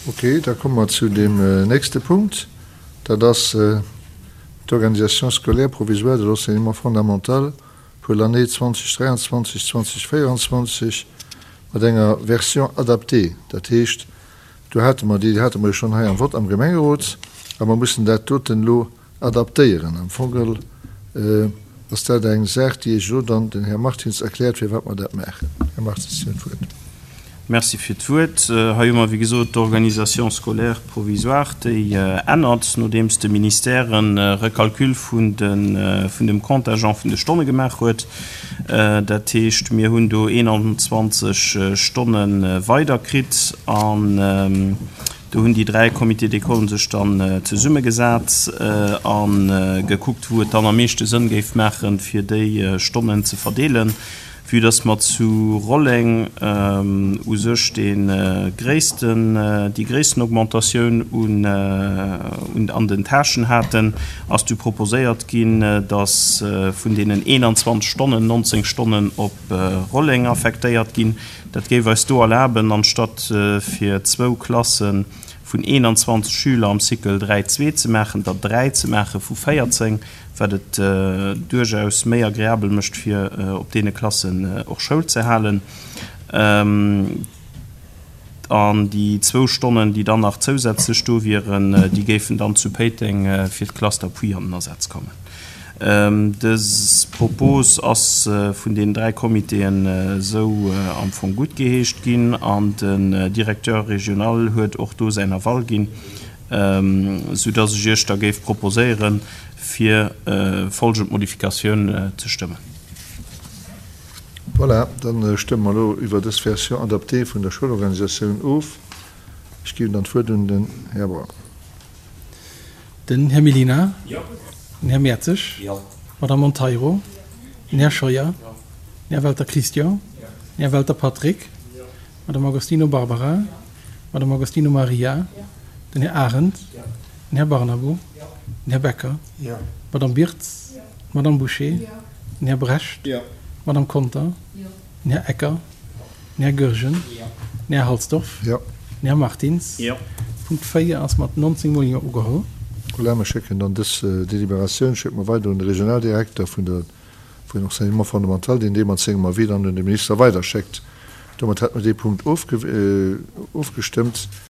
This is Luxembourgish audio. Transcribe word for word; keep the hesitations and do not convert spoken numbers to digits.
Okay, da komme mer zu deem nächste Punkt. Dat ass d'Organisation scolaire provisoire de l'enseignement fondamental pour l'année zweedausend dräianzwanzeg zweedausend véierundzwanzeg mat enger Version adaptée. Dat heescht, do hate mer déi, déi hate mer jo schonn hei am Vott am Gemengerot, a mer mussen dat doten elo adaptéieren. Am Fong geholl ass dat eng Saach, déi Iech elo dann den Här Martins erkläert, firwat mer dat maachen. Här Martins, Sie hunn d'Wuert. Merci fir d'Wuert. Hei hu mer, wéi gesot, d'Organisation scolaire provisoire, déi ännert, nodeems de Ministère e Recalcul vun de vun dem Contingent vun de Stonne gemaach huet. Dat heescht, mir hunn do eenanzwanzeg Stonne weider kritt an do hunn déi dräi Comités d'école sech dann zesummegesat a gekuckt, wou et dann am meeschte Sënn géif maachen, fir déi Stonnen ze verdeelen. Vue dass mer zu Rolleng u sech dee gréissten, déi gréissten Augmentatioun un, un an den Tâchen haten, ass du proposéiert ginn, dass vun deenen eenanzwanzeg Stonnen nonzéng Stonnen op Rolleng affektéiert ginn. Dat géif eis do erlaben, anstatt fir zwou Klasse vun eenanzwanzeg Schüler am Cycle dräi zwee ze maachen, der dräi ze maache vu véierzéng, wat et duerchaus méi agreabel mécht, fir op deene Klassen och Schoul ze halen. An déi zwou Stonnen, déi dann nach zousätzlech do wieren, déi géifen dann zu Péiteng fir d'Classe d'appui an den Asaz kommen. Dës Propos ass vun deenen dräi Comitéen esou am Fong guttgeheescht ginn an den Directeur régional huet och do säin Aval ginn, soudass ech Iech da géif proposéieren, fir folgend Modifikatioun ze stëmmen. Voilà, da stëmme mer elo iwwer dës Version adaptée vun der Schoulorganisatioun of. Ech ginn dann d'Wuert un den Här Braun. Den Här Mellina. Den Här Mertzig. D'Madame Monteiro. Den Här Scheuer. Den Här Welter Christian. Den Här Welter Patrick. D'Madame Agostino Barbara. D'Madame Agostino Maria. Den Här Arendt. Den Här Barnabo. Den Här Becker. D'Madame Birtz. D'Madame Boucher. Den Här Brecht. D'Madame Conter. Den Här Ecker. Den Här Goergen. Den Här Halsdorf. Den Här Martins. Punkt véier ass mat nonzéng Mol Jo ugeholl. Voilà, mer schécken dann dës Deliberatioun schécke mer weider un de Regionaldirekter vun der vun Enseignement fondamental, deen dee mat sengem Avis dann un de Minister weiderschéckt. Domat hätte mer dee Punkt ofgestëmmt.